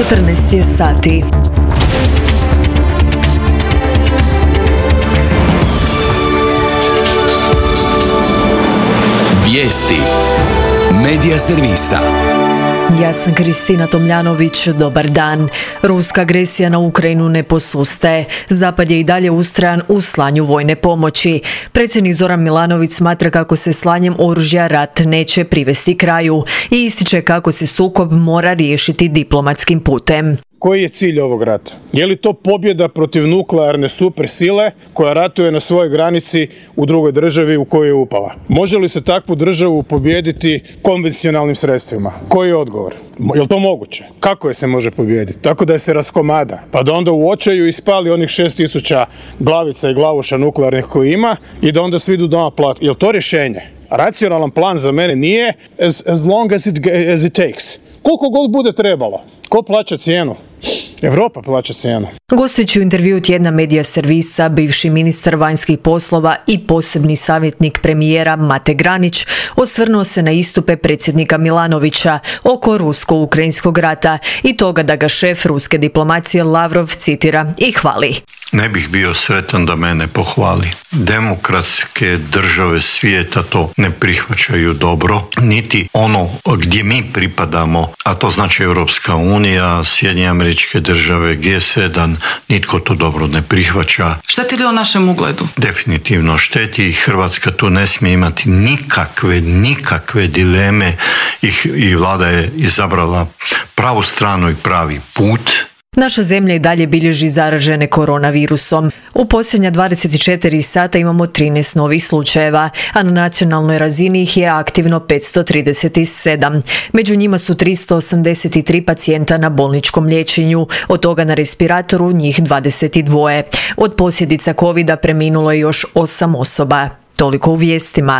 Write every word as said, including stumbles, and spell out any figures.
četrnaest je sati. Vijesti Medija servisa. Ja sam Kristina Tomljanović, dobar dan. Ruska agresija na Ukrajinu ne posustaje. Zapad je i dalje ustrajan u slanju vojne pomoći. Predsjednik Zoran Milanović smatra kako se slanjem oružja rat neće privesti kraju i ističe kako se sukob mora riješiti diplomatskim putem. Koji je cilj ovog rata? Je li to pobjeda protiv nuklearne supersile koja ratuje na svojoj granici u drugoj državi u kojoj je upala? Može li se takvu državu pobijediti konvencionalnim sredstvima? Koji je odgovor? Je li to moguće? Kako je se može pobijediti? Tako da je se raskomada, pa da onda u očaju ispali onih šest tisuća glavica i glavuša nuklearnih koji ima i da onda svi idu doma plati. Je li to rješenje? Racionalan plan za mene nije as, as long as it, as it takes. Koliko god bude trebalo. Ko plaća cijenu? Europa plaća cijenu. Gostujući u intervjuu tjedna Medija servisa, bivši ministar vanjskih poslova i posebni savjetnik premijera Mate Granić osvrnuo se na istupe predsjednika Milanovića oko rusko-ukrajinskog rata i toga da ga šef ruske diplomacije Lavrov citira i hvali. Ne bih bio sretan da mene pohvali. Demokratske države svijeta to ne prihvaćaju dobro, niti ono gdje mi pripadamo, a to znači Europska unija, Sjedinjene Američke Države, G sedam, nitko to dobro ne prihvaća. Šteti li o našem ugledu? Definitivno šteti i Hrvatska tu ne smije imati nikakve, nikakve dileme i, i vlada je izabrala pravu stranu i pravi put. Naša zemlja i dalje bilježi zaražene koronavirusom. U posljednja dvadeset četiri sata imamo trinaest novih slučajeva, a na nacionalnoj razini ih je aktivno petsto trideset sedam. Među njima su tristo osamdeset tri pacijenta na bolničkom liječenju, od toga na respiratoru njih dvadeset dva. Od posljedica covida preminulo je još osam osoba. Toliko u vijestima.